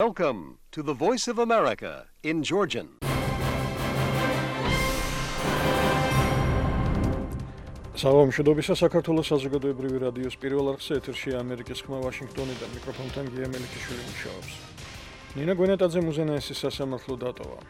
Welcome to the Voice of America in Georgian. Salam შედობისა საქართველოს საზოგადოებრივი რადიოს პირველ არხზე ეთერშია ამერიკის ხმა ვაშინგტონიდან მიკროფონთან გია მელიქიშვილი მუშაობს. ნინა გვენეტაძე მუზენაესის სასამართლო დატოვა.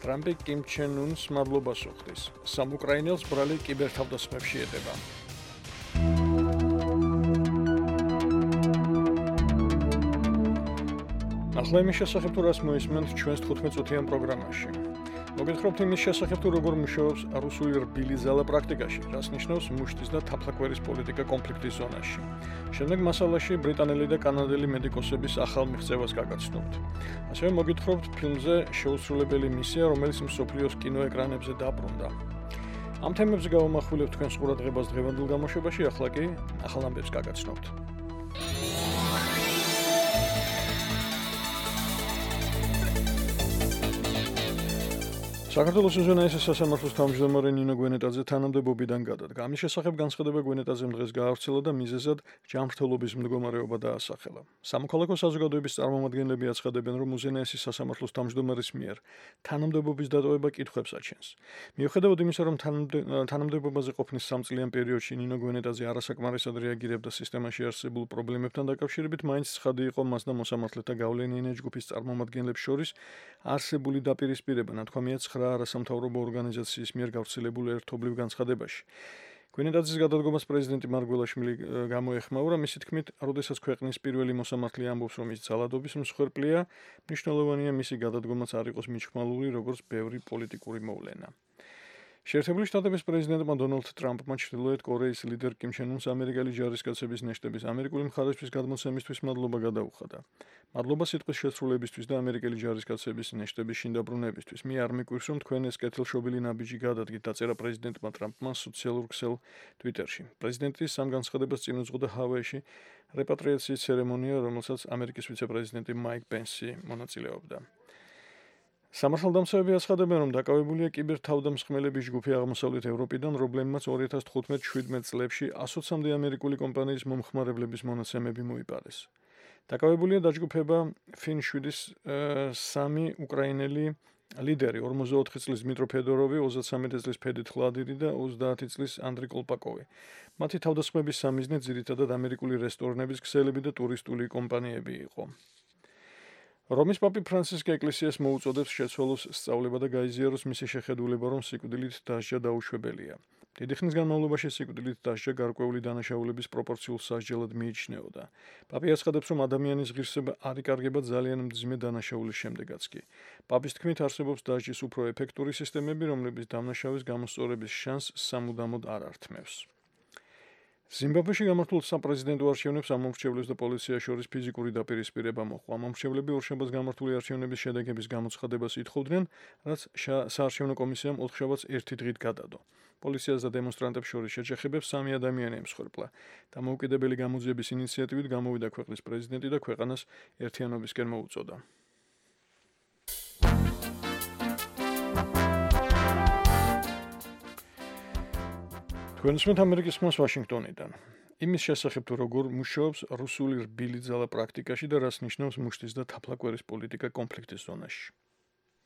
ტრამპი კიმ ჩენ უნს მადლობას უხდის. სამ უკრაინელს ბრალი კიბერთავდასხმებში ეტება. ახლა იმის შესახებ თუ რას მოისმენთ ჩვენს 15 წუთიან პროგრამაში. მოგეთხრობთ იმის შესახებ თუ როგორ მუშაობს რუსული რბილი ძალა პრაქტიკაში, რას ნიშნავს მუშტის და თაფლაკვერის პოლიტიკა კონფლიქტის ზონაში. შემდეგ მასალაში ბრიტანელი და კანადელი მედიკოსების ახალ მიღწევას გაგაცნობთ. ასევე მოგეთხრობთ ფილმზე შეუსრულებელი მისია, რომელიც მსოფლიოს კინოეკრანებზე დაბრუნდა. ამ თემებზე გავამახვილებთ თქვენს ყურადღებას დღევანდელ გამოშვებაში, ახლა კი ახალ ამბებს გაგაცნობთ. საქართველოს უზენაესის სასამართლოს თავმჯდომარე ნინო გვენეტაძე თანამდებობიდან გადადგა. ამის შესახებ განცხადება გვენეტაძემ დღეს გაავრცელა და მიზეზად ჯანმრთელობის მდგომარეობა დაასახელა. სამოქალაქო საზოგადოების წარმომადგენლები აცხადებენ, რომ უზენაესის სასამართლოს თავმჯდომარის მიერ თანამდებობის დატოვება კითხვებს აჩენს. მიუხედავად იმისა, რომ თანამდებობაზე ყოფნის 3 წლიან პერიოდში ნინო გვენეტაძე არასაკმარისად რეაგირებდა სისტემაში არსებულ პრობლემებთან დაკავშირებით, მაინც ცხადი იყო მას და მოსამართლეთა გავლენიანი ჯგუფის წარმომადგენლებს შორის არსებული დაპირისპირება, ნათქვამია 9 არასამთავრობო ორგანიზაციის მიერ გავრცელებულ ერთობლივ განცხადებაში. გვენეტაძის გადადგომას პრეზიდენტი მარგველაშვილი გამოეხმაურა, მისი თქმით, როდესაც ქვეყნის პირველი მოსამართლე ამბობს, რომ ის ძალადობის მსხვერპლია, მნიშვნელოვანია მისი გადადგომაც არ იყოს მიჩქმალური, როგორც ბევრი პოლიტიკური მოვლენა. შეერთებული შტატების პრეზიდენტმა დონალდ ტრამპმა ჩრდილოეთ კორეის ლიდერ კიმ ჩენ უნს ამერიკელი ჯარისკაცების ნეშტების ამერიკული მხარისთვის გადმოცემისთვის მადლობა გადაუხადა. მადლობა სიტყვის შესრულებისთვის და ამერიკელი ჯარისკაცების ნეშტების შინდაბრუნებისთვის. მე არ მიკვირს, რომ თქვენ ეს კეთილშობილი ნაბიჯი გადადგით, დაწერა პრეზიდენტმა ტრამპმა სოციალურ ქსელ Twitterში. პრეზიდენტი სამ განცხადებას წინ უძღოდა ჰავაიში რეპატრიაციის ცერემონია, რომელსაც ამერიკის ვიცე-პრეზიდენტი მაიკ პენსი მონაწილეობდა. სამართალდამცავები აცხადებენ, რომ დაკავებულია კიბერთავდამსხმელების ჯგუფი აღმოსავლეთ ევროპიდან, რომლებმაც 2015-17 წლებში 120-მდე ამერიკული კომპანიის მომხმარებლების მონაცემები მოიპარეს. დაკავებულია დაჯგუფება FinShwedis 3 უკრაინელი ლიდერი, 44 წლის დმიტრო ფედოროვი, 33 წლის ფედით ვლადირი და 30 წლის ანდრი კოლპაკოვი. მათი თავდასხმების სამიზნე ძირითადად ამერიკული რესტორნების ქსელები და ტურისტული კომპანიები იყო. რომის პაპი ფრანცისკე ეკლესიას მოუწოდებს შეცვალოს სწავლება და გაიზიაროს მისი შეხედულება, რომ სიკვდილით დასჯა დაუშვებელია. დიდი ხნის განმავლობაში სიკვდილით დასჯა გარკვეული დანაშაულების პროპორციულ სასჯელად მიიჩნეოდა. პაპი აცხადებს, რომ ადამიანის ღირსება არ იკარგება ძალიან მძიმე დანაშაულის შემდეგაც კი. პაპის თქმით, არსებობს დასჯის უფრო ეფექტური სისტემები, რომლებიც დამნაშავის გამოსწორების შანსს სამუდამოდ არ ართმევს. ზიმბაბვეში გამართულ საპრეზიდენტო არჩევნებს ამომრჩევლებს და პოლიციას შორის ფიზიკური დაპირისპირება მოჰყვა. ამომრჩევლები ორშაბათს გამართული არჩევნების შედეგების გამოცხადებას ითხოვდნენ, რაც საარჩევნო კომისიამ ოთხშაბათს ერთი დღით გადადო. პოლიციას და დემონსტრანტებს შორის შეჯახებებს 3 ადამიანი ემსხვერპლა. დამოუკიდებელი გამოძიების ინიციატივით გამოვიდა ქვეყნის პრეზიდენტი და ქვეყანას ერთიანობისკენ მოუწოდა. გვენსმენთ ამერიკის ხმას ვაშინგტონიდან. იმის შესახებ თუ როგორ მუშაობს რუსული რბილი ძალა პრაქტიკაში და რას ნიშნავს მუშტის და თაფლაკვერის პოლიტიკა კონფლიქტის ზონაში.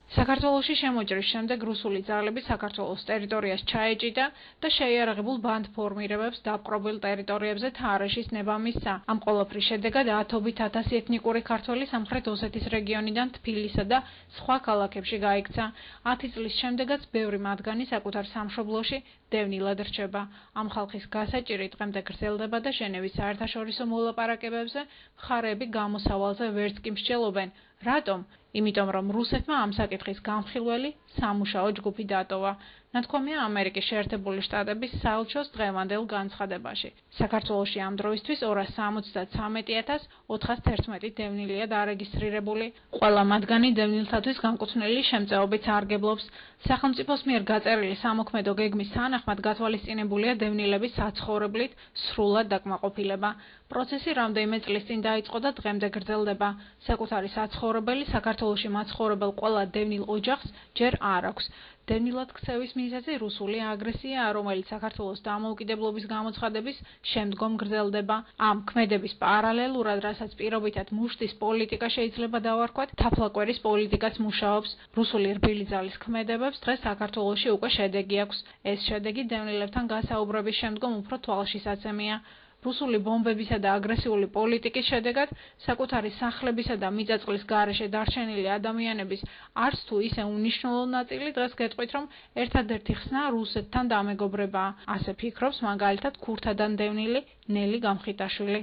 საქართველოში შემოჭრის შემდეგ რუსული ძალები საქართველოს ტერიტორიას ჩაეჭიდა და შეიარაღებულ ბანდფორმირებებს დაპყრობილ ტერიტორიებზე თარეშის ნება მისცა. ამ ყველაფრის შედეგად ათობით ათასი ეთნიკური ქართველი სამხრეთ ოსეთის რეგიონიდან თბილისსა და სხვა ქალაქებში გაიქცა. 10 წლის შემდეგაც ბევრი მათგანი საკუთარ სამშობლოში დევნილად რჩება. ამ ხალხის გასაჭირი დღემდე გრძელდება და ჟენევის საერთაშორისო მოლაპარაკებებზე მხარეები გამოსავალზე ვერც კი მსჯელობენ. რატომ? იმიტომ რომ რუსეთმა ამ საკითხის გამხილველი სამუშაო ჯგუფი დატოვა. ნათქვამია ამერიკის შეერთებული შტატების საელჩოს დღევანდელ განცხადებაში. საქართველოში ამ დროისთვის 273,411 დევნილია დარეგისტრირებული. ყველა მათგანი დევნილთათვის განკუთვნილი შემწეობით სარგებლობს. სახელმწიფოს მიერ გაწერილი სამოქმედო გეგმის თანახმად გათვალისწინებულია დევნილების საცხოვრებლით სრულად დაკმაყოფილება. პროცესი რამდენიმე წლის წინ დაიწყო და დღემდე გრძელდება. საკუთარი საცხოვრებელი საქართველოში მაცხოვრებელ ყველა დევნილ ოჯახს ჯერ არ აქვს. დევნილად ქცევის მიზეზი რუსული აგრესია, რომელიც საქართველოს დამოუკიდებლობის გამოცხადების შემდგომ გრძელდება. ამ ქმედების პარალელურად, რასაც პირობითად მუშტის პოლიტიკა შეიძლება დავარქვათ, თაფლაკვერის პოლიტიკაც მუშაობს. რუსული რბილი ძალის ქმედებებს დღეს საქართველოში უკვე შედეგი აქვს. ეს შედეგი დევნილებთან გასაუბრების შემდგომ უფრო თვალშისაცემია. რუსული ბომბებისა და აგრესიული პოლიტიკის შედეგად საკუთარი სახლებისა და მიწაწყლის გარეშე დარჩენილი ადამიანების არც თუ ისე უნიშნულო ნაწილი დღეს გეტყვით, რომ ერთადერთი ხსნა რუსეთთან დამეგობრებაა. ასე ფიქრობს მაგალითად ქურთადან დევნილი ნელი გამხიტაშვილი.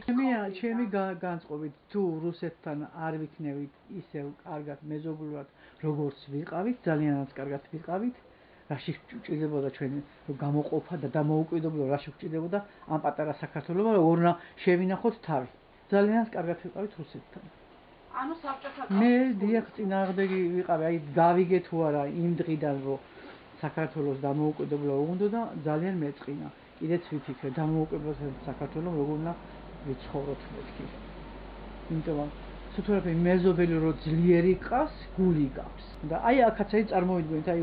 ჩემი განწყობით, თუ რუსეთთან არ ვიქნებით ისევ კარგად მეზობლურად, როგორც ვიყავით, ძალიანაც კარგად ვიყავით, რაში გვჭირდებოდა ჩვენი გამოყოფა და დამოუკიდებლობა, რაში გვჭირდებოდა ამ პატარა საქართველოს, როგორ უნდა შევინახოთ თავი. ძალიანაც კარგად ვიყავით რუსეთთან. ანუ საბჭოთა მე დიახ წინააღმდეგი ვიყავი, აი გავიგე თუ არა იმ დღიდან, რომ საქართველოს დამოუკიდებლობა უნდა და ძალიან მეწყინა. კიდეც ვიფიქრე დამოუკიდებლობასთან საქართველოს როგორ უნდა ვიცხოვროთ მეთქი. იმიტომ სუთურაფე მეზობელი რო ძლიერი ყავს, გული გავს. და აი აქაც აი წარმოვიდგინეთ, აი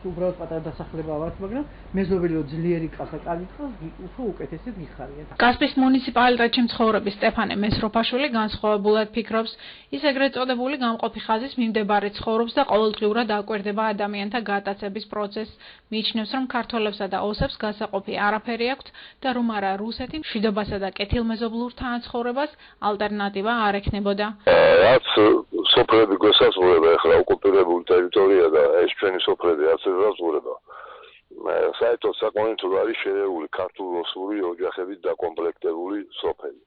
უბრალოდ პატარა დასახლება ვართ, მაგრამ მეზობელი რო ძლიერი ყავს და კარგი ყავს, უფრო უკეთესად გიხარიათ. კასპის მუნიციპალიტეტში მცხოვრები სტეფანე მესროფაშვილი განსხვავებულად ფიქრობს. ის ეგრეთ წოდებული გამყოფი ხაზის მიმდებარე ცხოვრობს და ყოველდღიურად აკვირდება ადამიანთა გატაცების პროცესს. მიიჩნევს, რომ ქართველებსა და ოსებს გასაყოფი არაფერი აქვთ და რომ არა რუსეთი მშვიდობასა და კეთილმეზობლურ თანაცხოვრებას ალტერნატივა არ ექნებოდა. რაც სოფლები გვესაზღვრება ახლა ოკუპირებული ტერიტორია და ეს ჩვენი სოფლები რაც ესაზღვრება. საერთოდ საკონტროლო არის შერეული ქართულ-რუსული ოჯახებით დაკომპლექტებული სოფელი.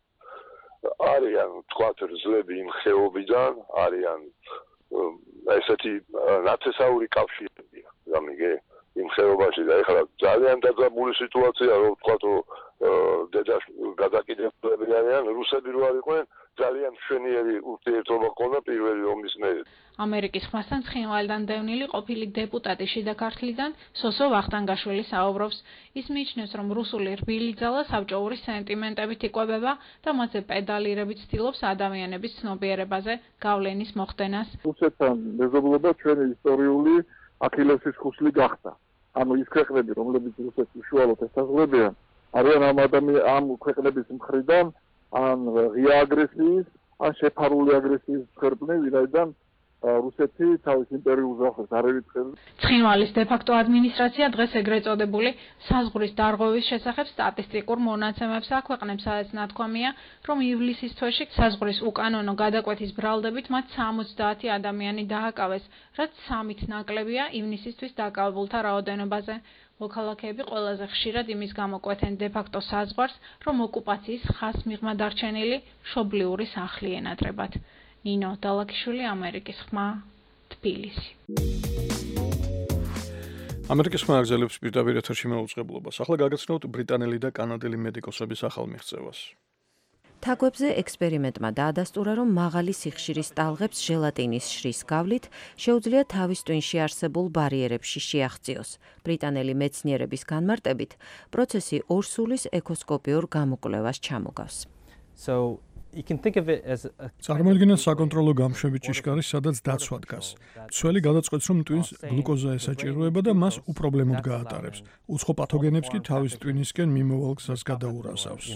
არიან თქვათ რძლები იმ ხეობიდან, არიან ესეთი ნათესაური კავშირებია, გამიგე იმ ხეობაში და ეხლა ძალიან დაძაბული სიტუაცია, რომ თქვათ დედა გადაკიდებლები არიან, რუსები რო არ იყვნენ, ძალიან მშვენიერი ურთიერთობა ჰქონდა პირველი ომის მერე. ამერიკის ხმასთან ცხინვალიდან დევნილი ყოფილი დეპუტატი შიდა ქართლიდან სოსო ვახტანგაშვილი საუბრობს. ის მიიჩნევს, რომ რუსული რბილი ძალა საბჭოური სენტიმენტებით იკვებება და მასზე პედალირებით ცდილობს ადამიანების ცნობიერებაზე გავლენის მოხდენას. რუსეთთან მეზობლობა ჩვენი ისტორიული ახილესის ხუსლი გახდა. ანუ ის ქვეყნები, რომლებიც რუსეთს უშუალოდ ესაზღვრებიან, არიან ამ ქვეყნების მხრიდან ან ღია აგრესიის, ან შეფარული აგრესიის მსხვერპლი, ვინაიდან რუსეთი თავის იმპერიულ ზღვას არ ერიცხებს. ცხინვალის დე-ფაქტო ადმინისტრაცია დღეს ეგრეთ წოდებული საზღვრის დარღვევის შესახებ სტატისტიკურ მონაცემებს აქვეყნებს, სადაც ნათქვამია, რომ ივლისის თვეში საზღვრის უკანონო გადაკვეთის ბრალდებით მათ 70 ადამიანი დააკავეს, რაც 3-ით ნაკლებია ივნისისთვის დაკავებულთა რაოდენობაზე. მოქალაქეები ყველაზე ხშირად იმის გამოკვეთენ დე-ფაქტო საზღვარს, რომ ოკუპაციის ხაზს მიღმა დარჩენილი მშობლიური სახლი ენატრებათ. ნინო დალაკიშვილი, ამერიკის ხმა, თბილისი. ამერიკის ხმა აგზელებს პირდაპირ ეთერში მეუწყებლობას. ახლა გაგაცნობთ ბრიტანელი და კანადელი მედიკოსების ახალ მიღწევას. თაგვებზე ექსპერიმენტმა დაადასტურა, რომ მაღალი სიხშირის ტალღებს ჟელატინის შრის გავლით შეუძლია თავის ტვინში არსებულ ბარიერებში შეაღწიოს. ბრიტანელი მეცნიერების განმარტებით, პროცესი ორსულის ეკოსკოპიურ გამოკვლევას ჩამოგავს. წარმოიდგინეთ საკონტროლო გამშვები ჭიშკარი, სადაც დაცვა დგას. მცველი გადაწყვეტს, რომ ტვინს გლუკოზა ესაჭიროება და მას უპრობლემოდ გაატარებს. უცხო პათოგენებს კი თავის ტვინისკენ მიმოვალ გზას გადაურასავს.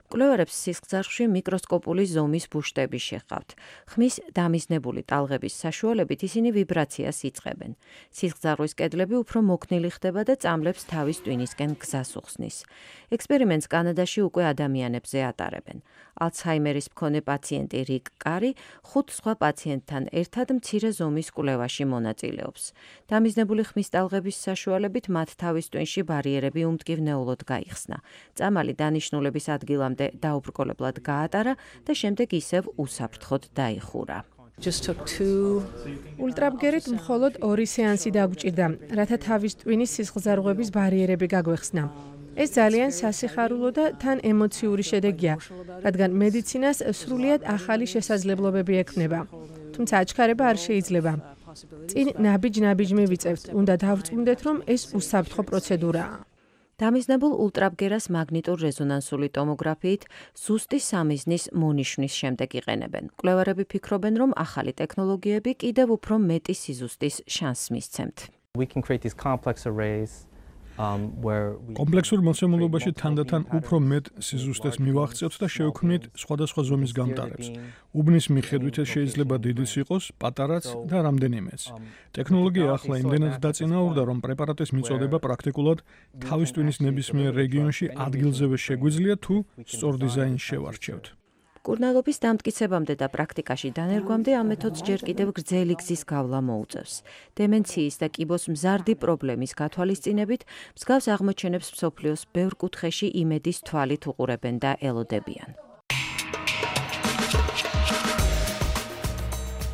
კვლევარებს სისხლძარღვში მიკროსკოპული ზომის ბუშტები შეჰყავთ. ხმის დამიზნებული ტალღების საშუალებით ისინი ვიბრაციას იწყებენ. სისხლძარღვის კედლები უფრო მოქნილი ხდება და წამლებს თავის ტვინისკენ გზას უხსნის. ექსპერიმენტს კანადაში უკვე ადამიანებზე ატარებენ. ალცჰაიმერის მქონე პაციენტი რიკ კარი 5 სხვა პაციენტთან ერთად მცირე ზომის კვლევაში მონაწილეობს. დამიზნებული ხმის ტალღების საშუალებით მათ თავის ტვინში ბარიერები უმტკივნეულოდ გაიხსნა. წამალი დანიშნულების ადგილამდე დაუბრკოლებლად გაატარა და შემდეგ ისევ უსაფრთხოდ დაიხურა. ულტრაბგერით მხოლოდ 2 სეანსი დაგვჭირდა, რათა თავის ტვინის სისხლძარღვების ბარიერები გაგვეხსნა. ეს ძალიან სასიხარულო და თან ემოციური შედეგია, რადგან მედიცინას სრულიად ახალი შესაძლებლობები ექმნება. თუმცა აჩქარება არ შეიძლება. წინ ნაბიჯ-ნაბიჯ მივიწევთ, უნდა დავწმუნდეთ, რომ ეს უსაფრთხო პროცედურაა. დამიზნებულ ულტრაბგერას მაგნიტურ რეზონანსული ტომოგრაფიით ზუსტი სამიზნის მონიშნის შემდეგ იყენებენ. მკვლევარები ფიქრობენ, რომ ახალი ტექნოლოგიები კიდევ უფრო მეტი სიზუსტის შანსს მისცემთ. კომპლექსურ მოცემულობაში თანდათან უფრო მეტ სიზუსტეს მივახცევთ და შევქმნით სხვადასხვა ზომის გამტარებს. უბნის მიხედვით ეს შეიძლება დიდიც იყოს, პატარაც და რამდენიმეც. ტექნოლოგია ახლა იმდენად დაწინაურდა, რომ პრეპარატის მიწოდება პრაქტიკულად თავის ტვინის ნებისმიერ რეგიონში ადგილზევე შეგვიძლია თუ სწორ დიზაინს შევარჩევთ. მკურნალობის დამტკიცებამდე და პრაქტიკაში დანერგვამდე ამ მეთოდს ჯერ კიდევ გრძელი გზის გავლა მოუწევს. დემენციის და კიბოს მზარდი პრობლემის გათვალისწინებით მსგავს აღმოჩენებს მსოფლიოს ბევრ კუთხეში იმედის თვალით უყურებენ და ელოდებიან.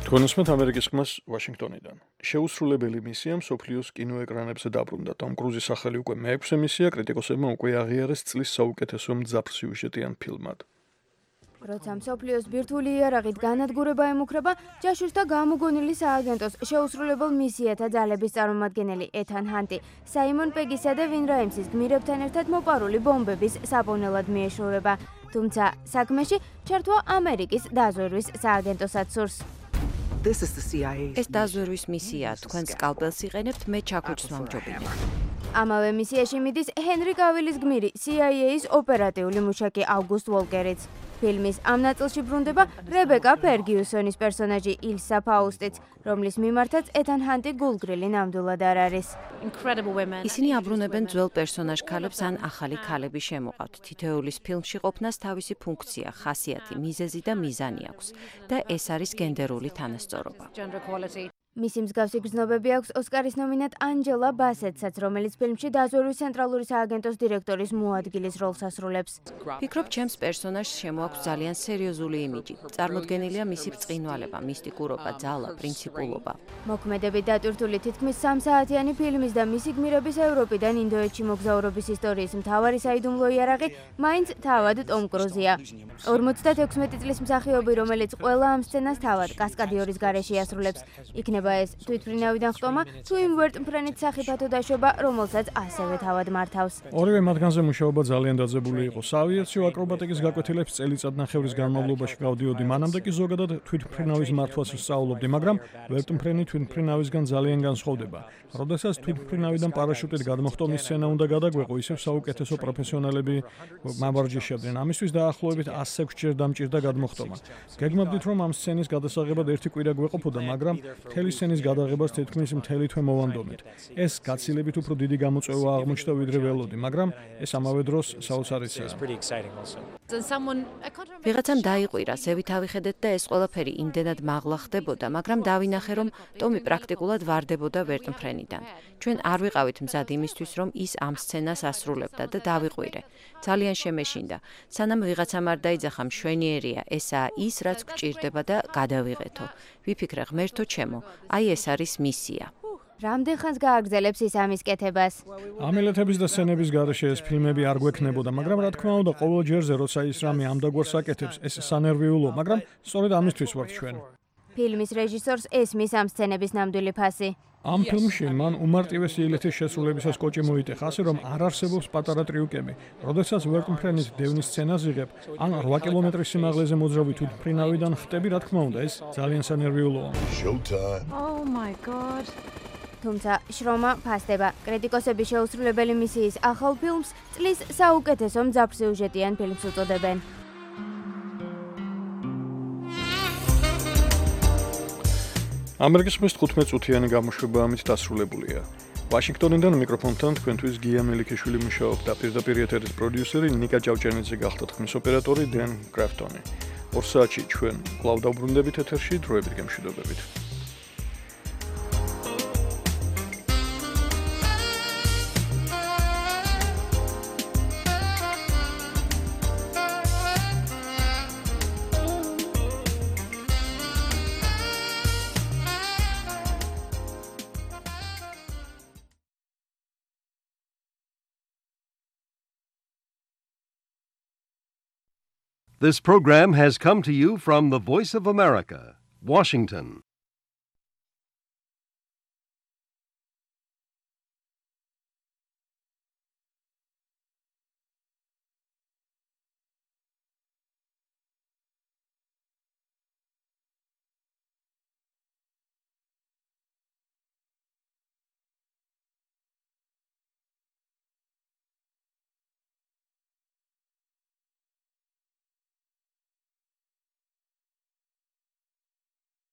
თქვენსმეთ ამერიკის ხმას ვაშინგტონიდან. შეუსრულებელი მისია მსოფლიოს კინოეკრანებზე დაბრუნდა. ტომ კრუზის სახელი უკვე მე-6 მისია კრიტიკოსებმა უკვე აღიარეს წლის საუკეთესო მძაფრ სიუჟეტიან ფილმად. როცა მსოფლიოს ბირთვული იარაღით განადგურება ემუქრება, ჯაშუშთა გამოგონილი სააგენტოს შეუსრულებელ მისიათა ძალების წარმომადგენელი ეთან ჰანტი, საიმონ პეგისა და ვინ რაიმსის გმირებთან ერთად მოპარული ბომბების საპონელად მიეშურება. თუმცა საქმეში ჩართვა ამერიკის დაზვერვის სააგენტოსაც სურს. ეს დაზვერვის მისიაა, თქვენ სკალპელს იყენებთ, მე ჩაქუჩს ვამჯობინებ. ამავე მისიაში მიდის ჰენრი კავილის გმირი, CIA-ის ოპერატიული მუშაკი ავგუსტ ვოლკერიც. ფილმის ამ ნაწილში ბრუნდება რებეკა ფერგიუსონის პერსონაჟი ილსა ფაუსტიც, რომლის მიმართაც ეთან ჰანტი გულგრილი ნამდვილად არ არის. ისინი აბრუნებენ ძველ პერსონაჟ ქალებს ან ახალი ქალები შემოყავთ. თითოეულის ფილმში ყოფნას თავისი ფუნქცია, ხასიათი, მიზეზი და მიზანი აქვს და ეს არის გენდერული თანასწორობა. მისი მსგავსი გრძნობები აქვს ოსკარის ნომინანტ ანჯელა ბასეტსაც, რომელიც ფილმში დაზვერვის ცენტრალური სააგენტოს დირექტორის მოადგილის როლს ასრულებს. ფიქრობ, ჩემს პერსონაჟს შემოაქვს ძალიან სერიოზული იმიჯი. წარმოდგენილია მისი ბრწყინვალება, მისტიკურობა, ძალა, პრინციპულობა. მოქმედებით დატვირთული თითქმის 3 საათიანი ფილმის და მისი გმირების ევროპიდან ინდოეთში მოგზაურობის ისტორიის მთავარი საიდუმლო იარაღი მაინც თავად ტომ კრუზია. 56 წლის მსახიობი, რომელიც ყველა ამ სცენას თავად კასკადიორის გარეშე ასრულებს. იქნება ეს თვითმფრინავიდან ხტომა თუ იმ ვერტმფრენით სახიფათო დაშვება, რომელსაც ასევე თავად მართავს. ორივე მათგანზე მუშაობა ძალიან დაძაბული იყო. საავიაციო აკრობატიკის გაკვეთილებს წელიწადნახევრის განმავლობაში გავდიოდი, მანამდე კი ზოგადად თვითმფრინავის მართვას ვსწავლობდი, მაგრამ ვერტმფრენი თვითმფრინავისგან ძალიან განსხვავდება. როდესაც თვითმფრინავიდან პარაშუტით გადმოხტომის სცენა უნდა გადაგვეყო, ისევ საუკეთესო პროფესიონალები მავარჯიშებდნენ. ამისთვის დაახლოებით 106 ჯერ დამჭირდა გადმოხტომა. გეგმავდით, რომ ამ სცენის გადასაღებად ერთი კვირა გვეყოფოდა, მაგრამ მთელი სცენის გადაღებას თითქმის მთელი თვე მოვანდომეთ. ეს გაცილებით უფრო დიდი გამოწვევა აღმოჩნდა ვიდრე ველოდი, მაგრამ ეს ამავე დროს საოცარიცაა. ვიღაცამ დაიყვირა, ზევით ავიხედეთ და ეს ყველაფერი იმდენად მაღლა ხდებოდა, მაგრამ დავინახე, რომ ტომი პრაქტიკულად ვარდებოდა ვერტმფრენიდან. ჩვენ არ ვიყავით მზად იმისთვის, რომ ის ამ სცენას ასრულებდა და დავიყვირე. ძალიან შემეშინდა. სანამ ვიღაცამ არ დაიძახა, მშვენიერია, ესაა ის, რაც გვჭირდება და გადავიღეთო. ვიფიქრე, ღმერთო ჩემო, აი ეს არის მისია. რამდენ ხანს გააგრძელებს ის ამის კეთებას? ამილეთების და სცენების გარეშე ეს ფილმები არ გვექნებოდა, მაგრამ რა თქმა უნდა, ყოველ ჯერზე როცა ის რამე ამდაგვარს აკეთებს, ეს სანერვიულო, მაგრამ სწორედ ამისთვის ვართ ჩვენ. ფილმის რეჟისორს ესმის ამ სცენების ნამდვილი ფასი. ამ ფილმში მან უმარტივესი ილეთის შესრულებისას კოჭი მოიტეხა, ასე რომ არ არსებობს პატარა ტრიუკები. როდესაც ვერტმფრენის დევნის სცენას იღებ, ან 8 კილომეტრის სიმაღლეზე მოძრავი თვითმფრინავიდან ხტები, რა თქმა უნდა, ეს ძალიან სანერვიულოა. თუმცა შრომა ფასდება. კრიტიკოსები შეუსრულებელი მისიის ახალ ფილმს წლის საუკეთესო მძაფრ სიუჟეტიან ფილმს უწოდებენ. ამერიკის ხმის 15 წუთიანი გამოშვება ამით დასრულებულია. ვაშინგტონიდან მიკროფონთან თქვენთვის გია მელიქიშვილი მუშაობდა, პირდაპირ ეთერის პროდიუსერი ნიკა ჭავჭენიძე გახდა, ხმის ოპერატორი დენ კრაფტონი. 2 საათში ჩვენ კვლავ დავბრუნდებით ეთერში, დროებით გემშვიდობებით. This program has come to you from the Voice of America, Washington.